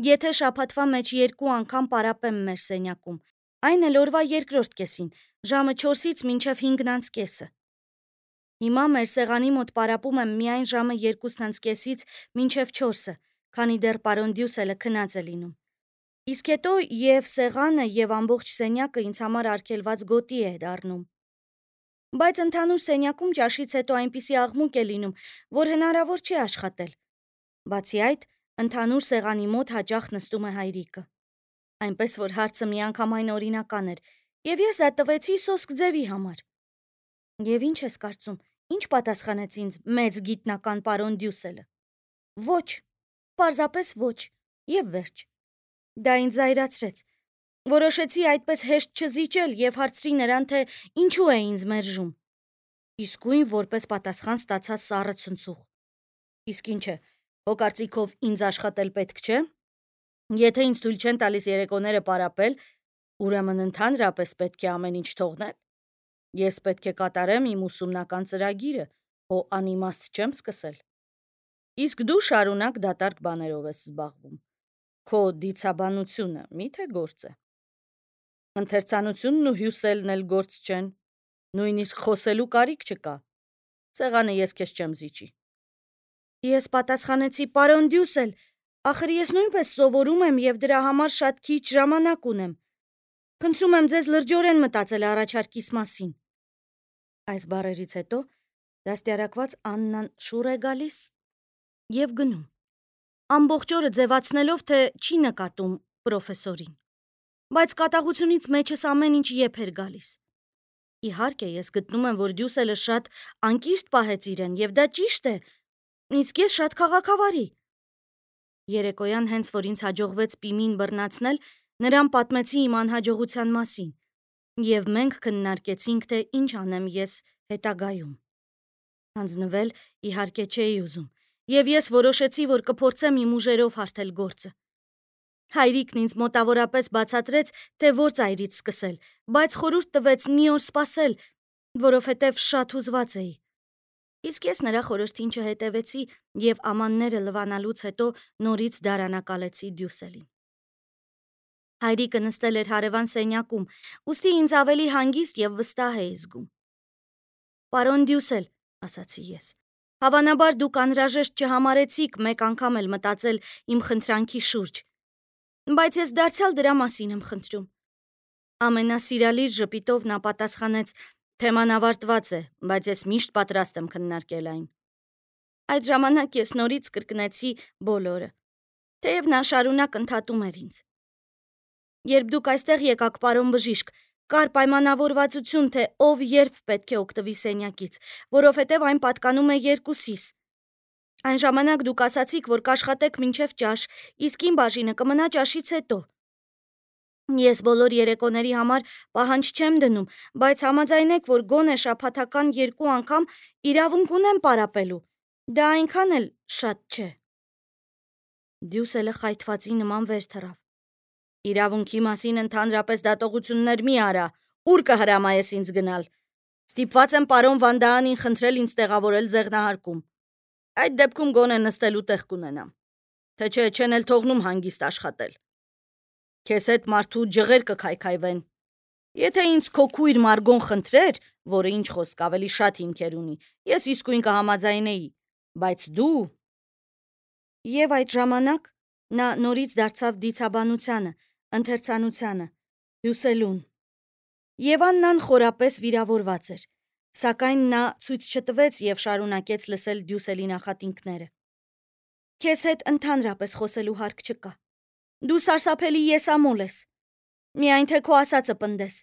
Եթե շաբաթվա մեջ 2 անգամ պարապեմ մեր սենյակում, այն էլ օրվա երկրորդ կեսին, ժամը 4-ից մինչև 5:30։ Հիմա մեր սեղանի մոտ պարապում եմ միայն ժամը 2:30-ից մինչև 4-ը, քանի դեռ պարոն Դյուսելը քնած է լինում։ Իսկ հետո և սեղանը և ամբողջ սենյակը ինձ համար արգելված գոտի է դառնում։ Բայց ընդհանուր սենյակում ճաշից հետո այնպիսի աղմուկ է լինում, որ հնարավոր չէ աշխատել։ Բացի այդ, ընդհանուր սեղանի մոտ հաճախ նստում է Հայրիկը։ Այնպես որ հարցը միանգամայն օրինական էր, և ես դա տվեցի սոսկ ձևի համար։ Եվ ինչ ես կարծում, ինչ պատասխանեց ինձ մեծ գիտնական պարոն Դյուսելը։ Ոչ, պարզապես ոչ, և վերջ։ Դա ինձ զայրացրեց։ Որոշեցի այդպես հեշտ չզիջել և հարցրի նրան, թե ինչու է ինձ մերժում։ Իսկույն որպես պատասխան ստացա սառը ցնցուղ։ Իսկ ինչ է, քո կարծիքով ինձ աշխատել պետք չէ։ Եթե ինձ թույլ չեն տալիս երեկոները պարապել, ուրեմն ընդհանրապես պետք է ամեն ինչ թողնել։ Ես պետք է կատարեմ իմ ուսումնական ծրագիրը, հո անիմաստ չեմ սկսել։ Իսկ դու շարունակ դատարկ բաներով ես զբաղվում։ Քո դիցաբանությունը մի՞թե գործ է։ Ընթերցանությունն ու հյուսելն էլ գործ չեն։ Նույնիսկ խոսելու կարիք չկա։ Սեղանը ես քեզ չեմ զիջի։ Ես պատասխանեցի. պարոն Դյուսել, ախր ես նույնպես սովորում եմ և դրա համար շատ քիչ ժամանակ ունեմ։ Խնդրում եմ ձեզ լրջորեն մտածել առաջարկիս մասին։ Այս բառերից հետո դաստիարակված Աննան շուռ է գալիս և գնում, ամբողջ օրը ձևացնելով, թե չի նկատում պրոֆեսորին։ Բայց կատաղությունից մեջս ամեն ինչ եփ էր գալիս։ Իհարկե, ես գտնում եմ, որ Դյուսելը շատ անկիրթ պահեց իրեն, և դա ճիշտ է, իսկ ես շատ քաղաքավարի։ Երեկոյան հենց որ ինձ հաջողվեց Պիմին բռնացնել, նրան պատմեցի իմ անհաջողության մասին, և մենք քննարկեցինք, թե ինչ անեմ ես հետագայում։ Հանձնվել իհարկե չէի ուզում, և ես որոշեցի, որ կփորձեմ իմ ուժերով հարթել գործը։ Հայրիկն ինձ մոտավորապես բացատրեց, թե որ ծայրից սկսել, բայց խորհուրդ տվեց մի օր սպասել, որովհետև շատ հուզված էի։ Իսկ ես նրա խորհրդին չհետևեցի և ամանները լվանալուց հետո նորից դարանակալեցի Դյուսելին։ Հայրիկը նստել էր հարևան սենյակում, ուստի ինձ ավելի հանգիստ և վստահ էի զգում։ Պարոն Դյուսել, ասացի ես, հավանաբար դուք անհրաժեշտ չհամարեցիք մեկ անգամ էլ մտածել իմ խնդրանքի շուրջ, բայց ես դարձյալ դրա մասին եմ խնդրում։ Ամենասիրալիր ժպիտով նա պատասխանեց. թեման ավարտված է, բայց ես միշտ պատրաստ եմ քննարկել այն։ Այդ ժամանակ ես նորից կրկնեցի բոլորը, թեև նա շարունակ ընդհատում էր ինձ։ Երբ դուք այստեղ եկաք, պարոն բժիշկ, կար պայմանավորվածություն, թե ով երբ պետք է օգտվի սենյակից, որովհետև այն պատկանում է երկուսիս։ Այն ժամանակ դուք ասացիք, որ կաշխատեք մինչև ճաշ, իսկ իմ բաժինը կմնա ճաշից հետո։ Ես բոլոր երեկոների համար պահանջ չեմ դնում, բայց համաձայնեք, որ գոնե շաբաթական 2 անգամ իրավունք ունեմ պարապելու։ Դա այնքան էլ շատ չէ։ Դյուսելը խայթվածի նման վեր թռավ։ Իրավունքի մասին ընդհանրապես դատողություններ մի արա, ուր կհրամայես ինձ գնալ։ Ստիպված եմ պարոն Վանդաանին խնդրել ինձ տեղավորել ձեղնահարկում։ Այդ դեպքում գոնե նստելու տեղ կունենամ։ Թե չէ չեն էլ թողնում հանգիստ աշխատել։ Քեզ հետ մարդու ջղեր կքայքայվեն։ Եթե ինձ քո քույր Մարգոն խնդրեր, որը ինչ խոսք ավելի շատ հիմքեր ունի, ես իսկույն կհամաձայնեի, բայց դու… Եվ այդ ժամանակ նա նորից դարձավ դիցաբանությանը, ընթերցանությանը, հյուսելուն։ Եվ Աննան խորապես վիրավորված էր, սակայն նա ցույց չտվեց և շարունակեց լսել Դյուսելի նախատինքները։ Քեզ հետ ընդհանրապես խոսելու հարկ չկա։ Դու սարսափելի եսամոլ ես։ Միայն թե քո ասածը պնդես,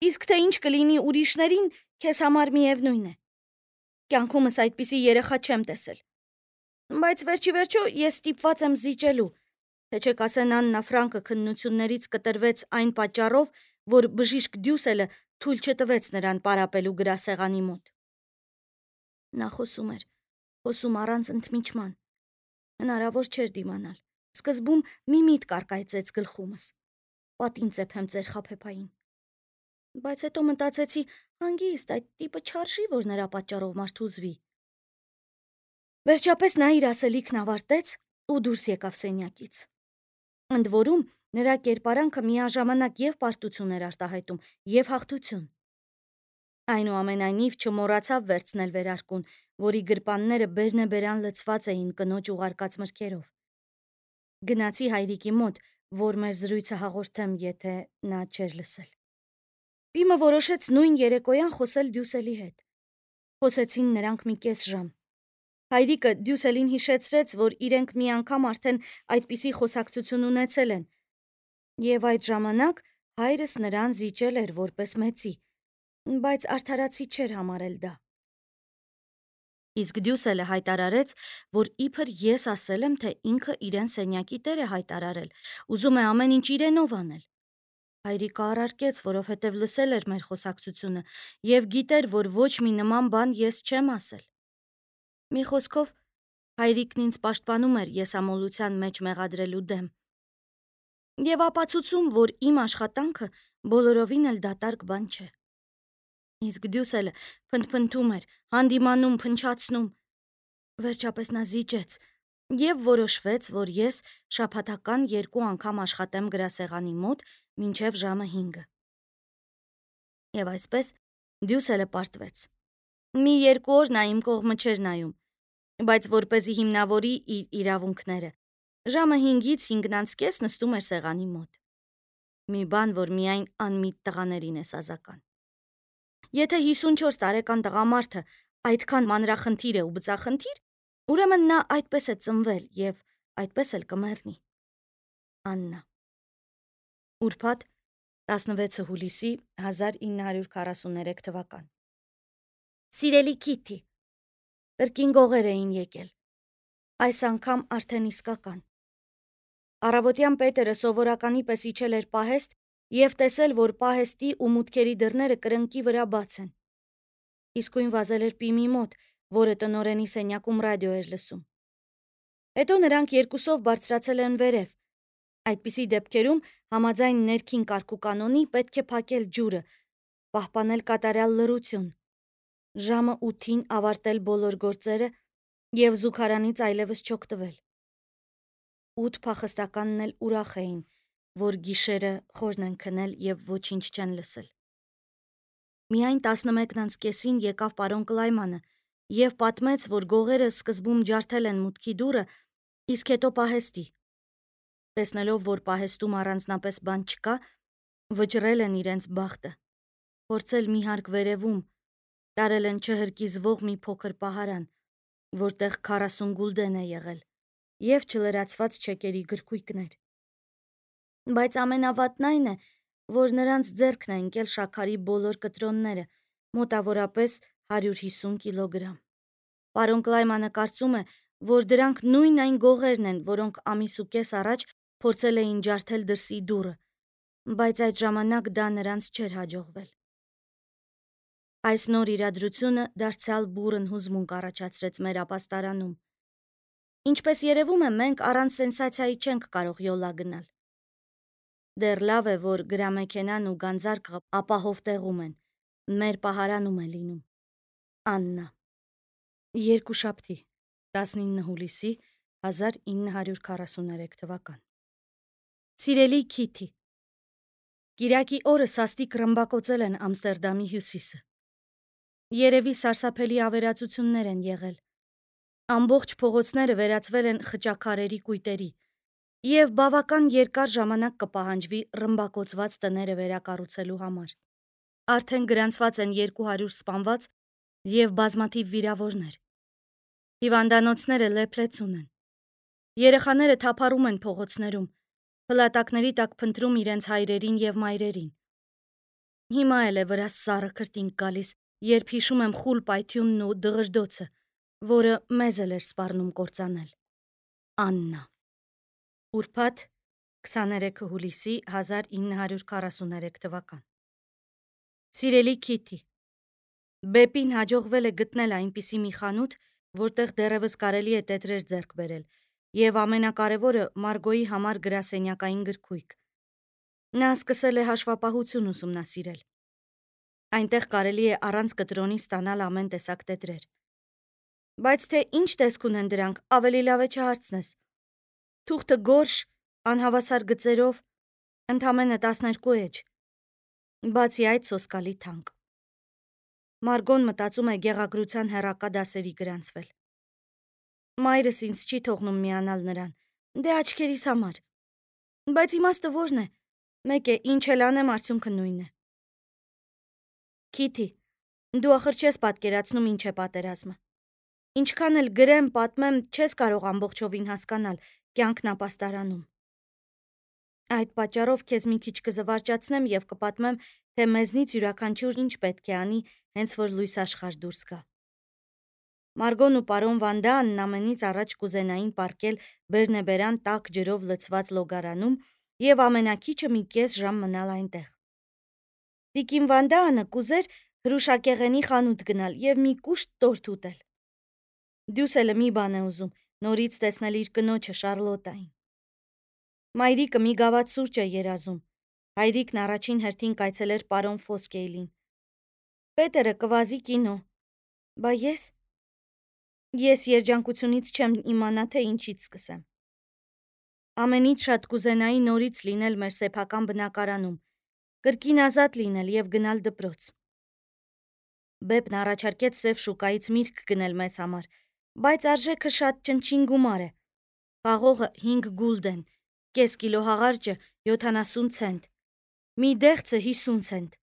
իսկ թե ինչ կլինի ուրիշներին, քեզ համար միևնույն է։ Կյանքումս այդպիսի երեխա չեմ տեսել։ Բայց վերջիվերջո ես ստիպված եմ զիջելու, թե չէ կասեն Աննա Ֆրանկը քննություններից կտրվեց այն պատճառով, որ բժիշկ Դյուսելը թույլ չտվեց նրան պարապելու գրասեղանի մոտ։ Նա խոսում առանց ընդմիջման։ Հնարավոր չէր դիմանալ։ Սկզբում մի միտք առկայծեց գլխումս. պատին ծեփեմ ձեր խաբեբային։ Բայց հետո մտածեցի, հանգիստ, այդ տիպը չարժի, որ նրա պատճառով մարդ հուզվի։ Վերջապես նա իր ասելիքն ավարտեց ու դուրս եկավ սենյակից։ Ընդ որում, նրա կերպարանքը միաժամանակ և պարտություն էր արտահայտում, և հաղթություն։ Այնուամենայնիվ չմոռացավ վերցնել վերարկուն, որի գրպանները բերնեբերան լցված էին կնոջ ուղարկած մրգերով։ Գնացի հայրիկի մոտ, որ մեր զրույցը հաղորդեմ, եթե նա չէր լսել։ Պիմը որոշեց նույն երեկոյան խոսել Դյուսելի հետ։ Խոսեցին նրանք մի կես ժամ։ Հայրիկը Դյուսելին հիշեցրեց, որ իրենք մի անգամ արդեն այդպիսի խոսակցություն ունեցել են, և այդ ժամանակ հայրս նրան զիջել էր որպես մեծի, բայց արդարացի չէր համարել դա։ Իսկ Դյուսելը հայտարարեց, որ իբր ես ասել եմ, թե ինքը իրեն սենյակի տեր է հայտարարել, ուզում է ամեն ինչ իրենով անել։ Հայրիկը առարկեց, որովհետև լսել էր մեր խոսակցությունը և գիտեր, որ ոչ մի նման բան ես չեմ ասել։ Մի խոսքով, հայրիկն ինձ պաշտպանում էր եսամոլության մեջ մեղադրելու դեմ և ապացուցում, որ իմ աշխատանքը բոլորովին էլ դատարկ բան չէ։ Իսկ Դյուսելը փնթփնթում էր, հանդիմանում, փնչացնում։ Վերջապես նա զիջեց և որոշվեց, որ ես շաբաթական 2 անգամ աշխատեմ գրասեղանի մոտ մինչև ժամը 5-ը։ Եվ այսպես Դյուսելը պարտվեց։ Մի 2 օր նա իմ կողմը չէր նայում, բայց որպեսզի հիմնավորի իր իրավունքները, ժամը 5-ից 5:30 նստում էր սեղանի մոտ։ Մի բան, որ միայն անմիտ տղաներին է սազական։ Եթե 54 տարեկան տղամարդը այդքան մանրախնդիր է ու բծախնդիր, ուրեմն նա այդպես է ծնվել և այդպես էլ կմեռնի։ Աննա։ Ուրբաթ 16 հուլիսի 1943 թվական։ Սիրելի Քիթի, կրկին գողեր էին եկել։ Այս անգամ արդեն իսկական։ Առավոտյան Պետերը սովորականի պես իջել էր պահեստ և տեսել, որ պահեստի ու մուտքերի դռները կրնկի վրա բաց են։ Իսկույն վազել էր Պիմի մոտ, որը տնօրենի սենյակում ռադիո էր լսում։ Հետո նրանք երկուսով բարձրացել են վերև։ Այդպիսի դեպքերում համաձայն ներքին կարգուկանոնի պետք է փակել ջուրը, պահպանել կատարյալ լռություն, ժամը 8-ին ավարտել բոլոր գործերը և զուգարանից այլևս չօգտվել։ 8 փախստականն էլ ուրախ էին, որ գիշերը խորն են քնել և ոչինչ չեն լսել։ Միայն 11:30-ին եկավ պարոն Կլայմանը և պատմեց, որ գողերը սկզբում ջարդել են մուտքի դուռը, իսկ հետո պահեստի։ Տեսնելով, որ պահեստում առանձնապես բան չկա, վճռել են իրենց բախտը, փորձել մի հարկ վերևում, տարել են չհրկիզվող մի փոքր պահարան, որտեղ 40 գուլդեն է եղել, և չլրացված չեկերի գրքույկներ։ Բայց ամենավատն այն է, որ նրանց ձեռքն է ընկել շաքարի բոլոր կտրոնները, մոտավորապես 150 կիլոգրամ։ Պարոն Կլայմանը կարծում է, որ դրանք նույն այն գողերն են, որոնք ամիս ու կես առաջ փորձել էին ջարդել դրսի դուռը, բայց այդ ժամանակ դա նրանց չէր հաջողվել։ Այս նոր իրադրությունը դարձյալ բուռն հուզմունք առաջացրեց մեր ապաստարանում։ Ինչպես երևում է, մենք առանց սենսացիայի չենք կարող յոլա գնալ։ Դեռ լավ է, որ գրամեքենան ու գանձարկղը ապահով տեղում են, մեր պահարանում է լինում։ Աննա։ Երկուշաբթի 19 հուլիսի 1943 թվական։ Սիրելի Քիթի, կիրակի օրը սաստիկ ռմբակոծել են Ամստերդամի հյուսիսը։ Երևի սարսափելի ավերածություններ են եղել։ Ամբողջ փողոցները վերածվել են խճաքարերի կույտերի, և բավական երկար ժամանակ կպահանջվի ռմբակոծված տները վերակառուցելու համար։ Արդեն գրանցված են 200 սպանված և բազմաթիվ վիրավորներ։ Հիվանդանոցները լեփլեցուն են։ Երեխաները թափառում են փողոցներում, փլատակների տակ փնտրում իրենց հայրերին և մայրերին։ Հիմա էլ է վրաս սառը քրտինք գալիս, երբ հիշում եմ խուլ պայթյունն ու դղրդոցը, որը մեզ էլ էր սպառնում կործանել։ Աննա։ Ուրբաթ 23 հուլիսի 1943 թվական։ Սիրելի Քիթի, Բեպին հաջողվել է գտնել այնպիսի մի խանութ, որտեղ դեռևս կարելի է տետրեր ձեռք բերել, և ամենակարևորը Մարգոյի համար գրասենյակային գրքույկ։ Նա սկսել է հաշվապահություն ուսումնասիրել։ Այնտեղ կարելի է առանց կտրոնի ստանալ ամեն տեսակ տետրեր։ Բայց թե ինչ տեսք ունեն դրանք, ավելի լավ է չհարցնես։ Թուղթը գորշ, անհավասար գծերով, ընդամենը 12 էջ, բացի այդ սոսկալի թանկ։ Մարգոն մտածում է գեղագրության հեռակա դասերի գրանցվել։ Մայրս ինձ չի թողնում միանալ նրան, դե աչքերիս համար։ Բայց իմաստը որն է, մեկ է, ինչ էլ անեմ, արդյունքը նույնն է։ Քիթի, դու ախր չես պատկերացնում ինչ է պատերազմը։ Ինչքան էլ գրեմ, պատմեմ, չես կարող ամբողջովին հասկանալ կյանքն ապաստարանում։ Այդ պատճառով քեզ մի քիչ կզվարճացնեմ եւ կպատմեմ, թե մեզնից յուրաքանչյուր ինչ պետք է անի, հենց որ լույս աշխարհ դուրս գա։ Մարգոն ու պարոն Վանդաանն ամենից առաջ կուզենային պառկել բերնեբերան տաք ջրով լցված լոգարանում եւ ամենակիչը մի կես ժամ մնալ այնտեղ։ Տիկին Վանդաանը կուզեր հրուշակեղենի խանութ գնալ եւ մի կուշտ տորթ ուտել։ Դյուսելը մի բան է ուզում, նորից տեսնել իր կնոջը Շարլոտային։ Մայրիկը մի գավաթ սուրճ է երազում։ Հայրիկն առաջին հերթին կայցելեր պարոն Ֆոսկեյլին։ Պետերը կվազի կինո։ Բա ես երջանկությունից չեմ իմանա, թե ինչից սկսեմ։ Ամենից շատ կուզենայի նորից լինել մեր սեփական բնակարանում, կրկին ազատ լինել եւ գնալ դպրոց։ Բեպն առաջարկեց Սև շուկայից միրգ գնել մեզ համար, բայց արժեքը շատ ճնչին գումար է։ Խաղողը 5 գուլդեն, կես կիլո հաղարջը 70 ցենտ, մի դեղցը 50 ցենտ,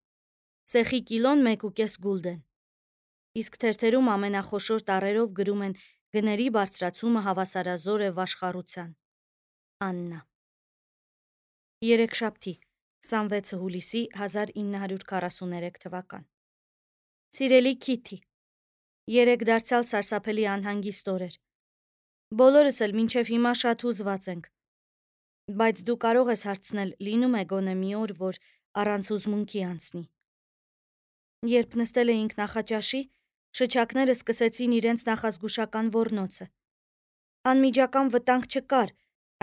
սեխի կիլոն 1.5 գուլդեն։ Իսկ թերթերում ամենախոշոր տառերով գրում են գների բարձրացումը հավասարազոր է վաշխառության։ Աննա։ Երեքշաբթի, 26 հուլիսի 1943 թվական։ Սիրելի Քիթի, երեկ դարձյալ սարսափելի անհանգիստ օր էր։ Բոլորս էլ մինչև հիմա շատ հուզված ենք։ Բայց դու կարող ես հարցնել, լինում է գոնե մի օր, որ առանց հուզմունքի անցնի։ Երբ նստել էինք նախաճաշի, շչակները սկսեցին իրենց նախազգուշական ոռնոցը։ Անմիջական վտանգ չկար,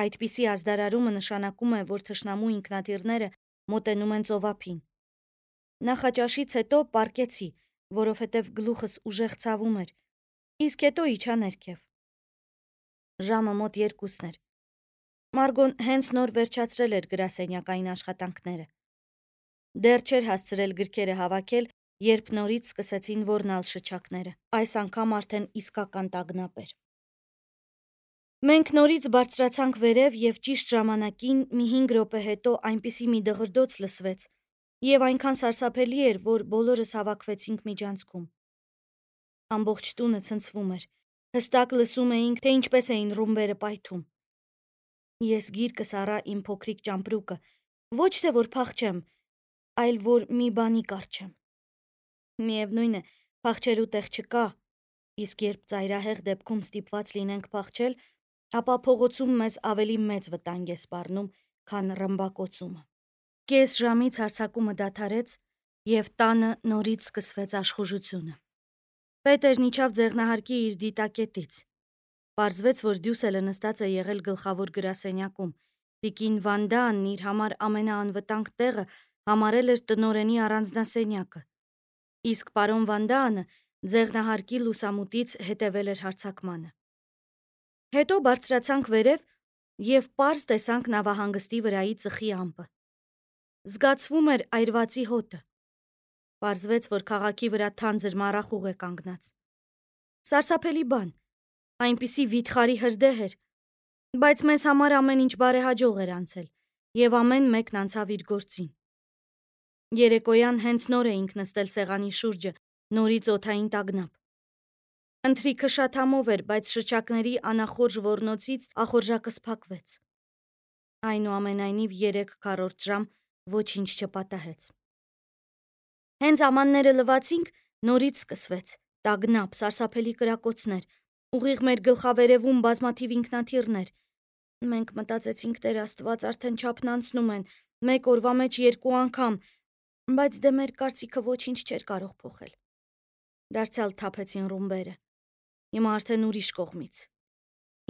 այդպիսի ազդարարումը նշանակում է, որ թշնամու ինքնաթիռները մոտենում են ծովափին։ Նախաճաշից հետո պառկեցի, որովհետև գլուխս ուժեղ ցավում էր, իսկ հետո իջա ներքև։ Ժամը մոտ 2-ն էր։ Մարգոն հենց նոր վերջացրել էր գրասենյակային աշխատանքները։ Դեռ չէր հասցրել գրքերը հավաքել, երբ նորից սկսեցին ոռնալ շչակները։ Այս անգամ արդեն իսկական տագնապ էր։ Մենք նորից բարձրացանք վերև եւ ճիշտ ժամանակին մի 5 րոպե հետո այնպիսի մի դղրդոց լսվեց եւ այնքան սարսափելի էր, որ բոլորս հավաքվեցինք միջանցքում։ Ամբողջ տունը ցնցվում էր։ Հստակ լսում էինք, թե ինչպես էին ռումբերը պայթում։ Ես գիրկս առա իմ փոքրիկ ճամպրուկը, ոչ թե որ փախչեմ, այլ որ մի բանի կառչեմ։ Միևնույն է, փախչելու տեղ չկա, իսկ երբ ծայրահեղ դեպքում ստիպված լինենք փախչել, ապա փողոցում մեզ ավելի մեծ վտանգ է սպառնում, քան ռմբակոծումը։ Կես ժամից հարձակումը դադարեց, եւ տանը նորից սկսվեց աշխուժությունը։ Պետերն իջավ ձեղնահարկի իր դիտակետից։ Պարզվեց, որ Դյուսելը նստած է եղել գլխավոր գրասենյակում։ Տիկին Վանդաանն իր համար ամենաանվտանգ տեղը համարել էր տնօրենի առանձնասենյակը, իսկ պարոն Վանդաանը ձեղնահարկի լուսամուտից հետևել էր հարձակմանը։ Հետո բարձրացանք վերև եւ պարզ տեսանք նավահանգստի վրայի ծխի ամպը։ Զգացվում էր այրվածի հոտը։ Պարզվեց, որ քաղաքի վրա թանձր մառախուղ է կանգնած։ Սարսափելի բան, այնպիսի վիթխարի հրդեհ էր, բայց մեզ համար ամեն ինչ բարեհաջող էր անցել, եւ ամեն մեկն անցավ իր գործին։ Երեկոյան հենց նոր էինք նստել սեղանի շուրջը, նորից օդային տագնապ։ Ընթրիքը շատ համով էր, բայց շչակների անախորժ ոռնոցից ախորժակս փակվեց։ Այնուամենայնիվ 3/4 ժամ ոչինչ չպատահեց։ Հենց ամանները լվացինք, նորից սկսվեց տագնապ, սարսափելի կրակոցներ, ուղիղ մեր գլխավերևում բազմաթիվ ինքնաթիռներ։ Մենք մտածեցինք, Տեր Աստված, արդեն չափն անցնում են, մեկ օրվա մեջ 2 անգամ, բայց դե մեր կարծիքը ոչինչ չէր կարող փոխել։ Դարձյալ թափեցին ռումբերը։ Հիմա արդեն ուրիշ կողմից,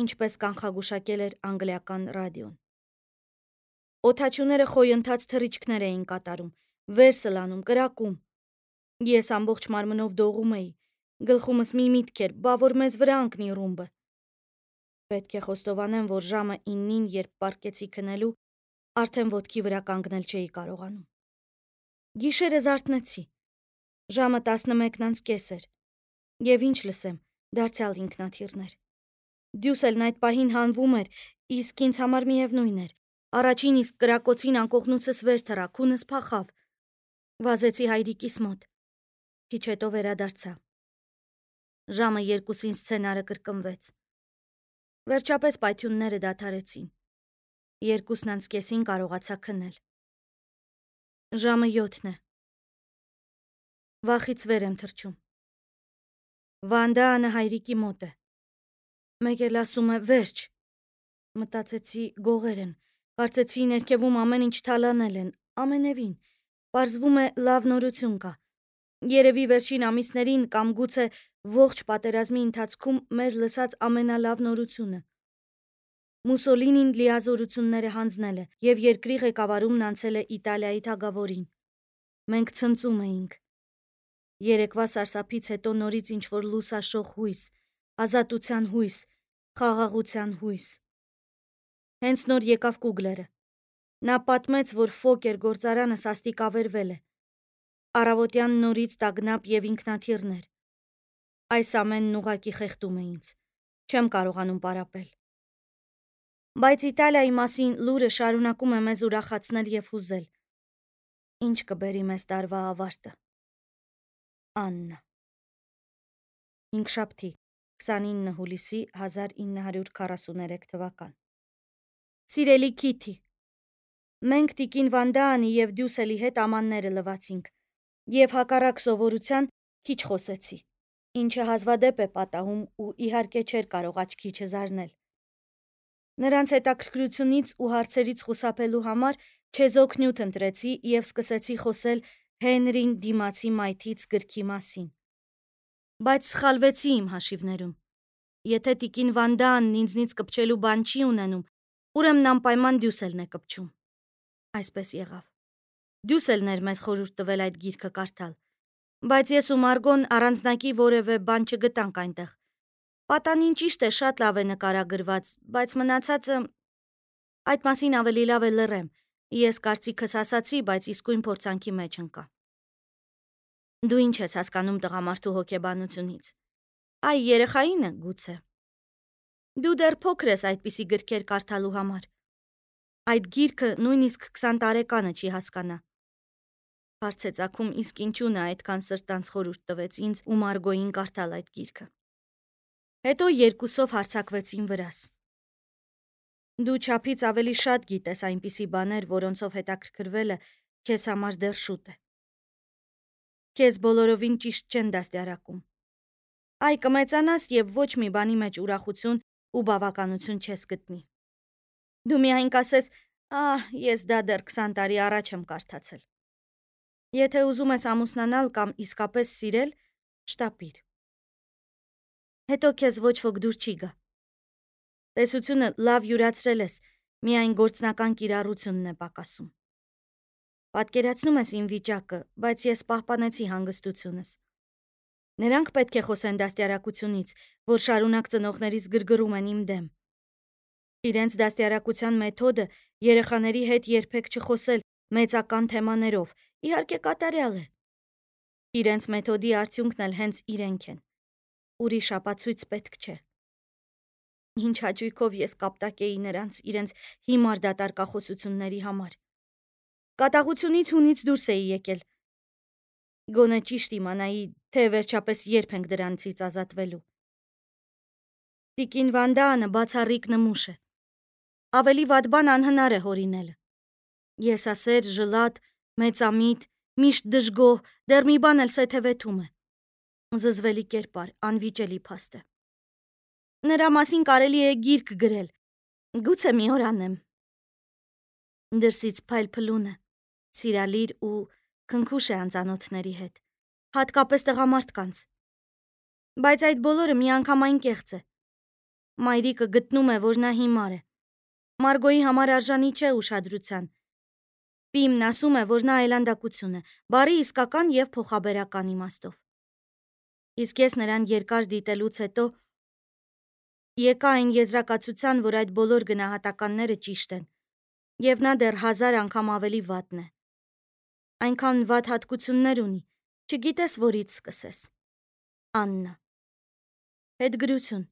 ինչպես կանխագուշակել էր անգլիական ռադիոն։ Օդաչուները խոյընթաց թռիչքներ էին կատարում, վերսլանում, կրակում։ Ես ամբողջ մարմնով դողում էի, գլխումս մի միտք էր, բա որ մեզ վրա ընկնի ռումբը։ պետք է խոստովանեմ, որ ժամը 9-ին, երբ պառկեցի քնելու, արդեն ոտքի վրա կանգնել չէի կարողանում։ Գիշերը զարթնեցի։ Ժամը 11:30 էր։ Եվ ինչ լսեմ, դարձյալ ինքնաթիռներ։ Դյուսելն այդ պահին հանվում էր, իսկ ինձ համար միևնույն էր։ Առաջին իսկ կրակոցին անկողնուցս վեր թռա, քունս փախավ։ Վազեցի հայրիկիս մոտ։ Քիչ հետո վերադարձա։ Ժամը 2-ին սցենարը կրկնվեց։ Վերջապես պայթյունները դադարեցին։ 2:30-ին կարողացա քնել։ Ժամը 7 է։ Վախից վեր եմ թռչում։ Վանդանը հայրիկի մոտ է։ Մեկ էլ ասում է վերջ։ Մտածեցի գողեր են, կարծեցի ներքևում ամեն ինչ թալանել են, ամենևին, պարզվում է լավ նորություն կա։ Երևի վերջին ամիսներին կամ գուցե ողջ պատերազմի ընթացքում մեր լսած ամենալավ նորությունը։ Մուսոլինին լիազորությունները հանձնել է և երկրի ղեկավարումն անցել է Իտալիայի թագավորին։ Մենք ցնծում էինք։ Երեկվա սարսափից հետո նորից ինչ-որ լուսաշող հույս, ազատության հույս, խաղաղության հույս։ Հենց նոր եկավ Կուգլերը։ Նա պատմեց, որ Ֆոկեր գործարանը սաստիկավերվել է։ Առավոտյան նորից տագնապ և ինքնաթիռներ։ Այս ամենն ուղղակի խեղդում է ինձ։ Չեմ կարողանում պարապել։ Բայց Իտալիայի մասին լուրը շարունակում է մեզ ուրախացնել և հուզել։ Ինչ կբերի մեզ տարվա ավարտը։ Աննա։ Հինգշաբթի, 29 հուլիսի 1943 թվական։ Սիրելի Քիթի, մենք տիկին Վանդանի և Դյուսելի հետ ամանները լվացինք և հակառակ սովորության քիչ խոսեցի, ինչը հազվադեպ է պատահում ու իհարկե չէր կարող աչքի չզարնել։ Նրանց հետաքրքրությունից ու հարցերից խուսափելու համար չեզոք նյութ ընտրեցի և սկսեցի խոսել Հենրին դիմացի մայթից գրքի մասին։ Բայց սխալվեցի իմ հաշիվներում։ Եթե տիկին Վանդանն ինձնից կպչելու բան չի ունենում, ուրեմն անպայման Դյուսելն է կպչում։ Այսպես եղավ։ Դյուսելն էր մեզ խորհուրդ տվել այդ գիրքը կարդալ, բայց ես ու Մարգոն առանձնակի որևէ բան չգտանք այնտեղ։ Պատանին ճիշտ է, շատ լավ է նկարագրված, բայց մնացածը… Այդ մասին ավելի լավ է լռեմ։ Ես կարծիքս ասացի, բայց իսկույն փորձանքի մեջ ընկա։ Դու ինչ ես հասկանում տղամարդու հոգեբանությունից։ Այ երեխային է, գուցե։ Դու դեռ փոքր ես այդպիսի գրքեր կարդալու համար։ Այդ գիրքը նույնիսկ 20 տարեկանը չի հասկանա։ Հարց է ծագում, իսկ ինչու նա այդքան սրտանց խորհուրդ տվեց ինձ ու Մարգոյին կարդալ այդ գիրքը։ Հետո երկուսով հարձակվեցին վրաս։ Դու չափից ավելի շատ գիտես այնպիսի բաներ, որոնցով հետաքրքրվելը քեզ համար դեռ շուտ է։ Քեզ բոլորովին ճիշտ չեն դաստիարակում։ Այ կմեծանաս և ոչ մի բանի մեջ ուրախություն ու բավականություն չես գտնի։ Դու միայն կասես, ես դա դեռ 20 տարի առաջ եմ կարդացել։ Եթե ուզում ես ամուսնանալ կամ իսկապես սիրել, շտապիր։ Հետո քեզ ոչ ոք դուր չի գա։ Տեսությունը լավ յուրացրել ես, միայն գործնական կիրառությունն է պակասում։ Պատկերացնում ես իմ վիճակը, բայց ես պահպանեցի հանգստությունս։ Նրանք պետք է խոսեն դաստիարակությունից, որ շարունակ ծնողներիս գրգռում են իմ դեմ։ Իրենց դաստիարակության մեթոդը երեխաների հետ երբեք չխոսել մեծական թեմաներով, իհարկե կատարյալ է։ Իրենց մեթոդի արդյունքն էլ հենց իրենք են։ Ուրիշ ապացույց պետք չէ։ Ինչ հաճույքով ես կապտակ էի նրանց իրենց հիմար դատարկախոսությունների համար։ Կատաղությունից հունից դուրս էի եկել։ Գոնե ճիշտ իմանայի, թե վերջապես երբ ենք դրանցից ազատվելու։ Տիկին Վանդանը բացառիկ նմուշ է։ Ավելի վատ բան անհնար է հորինելը։ Եսասեր, ժլատ, մեծամիտ, միշտ դժգոհ, դեռ մի բան էլ սեթևեթում է։ Զզվելի կերպար, անվիճելի փաստ է։ Նրա մասին կարելի է գիրք գրել։ Գուցե մի օր անեմ։ Դրսից փայլփլուն է, սիրալիր ու քնքուշ է անծանոթների հետ, հատկապես տղամարդկանց։ Բայց այդ բոլորը միանգամայն կեղծ է։ Մայրիկը գտնում է, որ նա հիմար է։ Մարգոյի համար արժանի չէ ուշադրության։ Պիմն ասում է, որ նա այլանդակություն է, բառի իսկական և փոխաբերական իմաստով։ Իսկ ես նրան երկար դիտելուց հետո Եկա այն եզրակացության, որ այդ բոլոր գնահատականները ճիշտ են, եւ նա դեռ 1000 անգամ ավելի վատն է։ Այնքան վատ հատկություններ ունի, չգիտես որից սկսես։ Աննա։ Հետգրություն։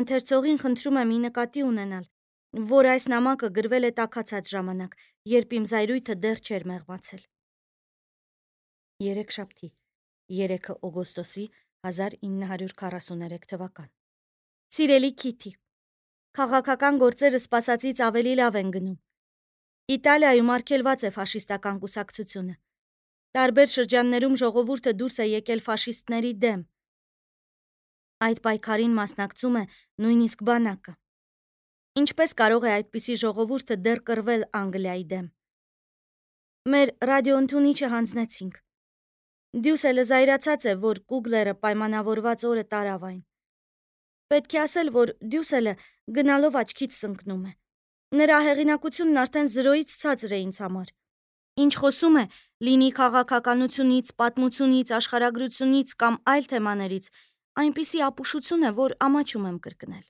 Ընթերցողին խնդրում եմ ի նկատի ունենալ, որ այս նամակը գրվել է տաքացած ժամանակ, երբ իմ զայրույթը դեռ չէր մեղմացել։ Երեքշաբթի, 3 օգոստոսի 1943 թվական։ Սիրելի Քիթի, քաղաքական գործերը սպասածից ավելի լավ են գնում։ Իտալիայում արգելված է ֆաշիստական կուսակցությունը։ Տարբեր շրջաններում ժողովուրդը դուրս է եկել ֆաշիստների դեմ։ Այդ պայքարին մասնակցում է նույնիսկ բանակը։ Ինչպես կարող է այդպիսի ժողովուրդը դեռ կռվել Անգլիայի դեմ։ Մեր ռադիոընդունիչը հանձնեցինք։ Դյուսելը զայրացած է, որ Կուգլերը պայմանավորված օրը տարավ այն։ Պետք է ասել, որ Դյուսելը գնալով աչքից սնկնում է։ Նրա հեղինակությունն արդեն 0-ից ցածր է ինձ համար։ Ինչ խոսում է, լինի քաղաքականությունից, պատմությունից, աշխարհագրությունից կամ այլ թեմաներից, այնպիսի ապուշություն է, որ ամաչում եմ կրկնել։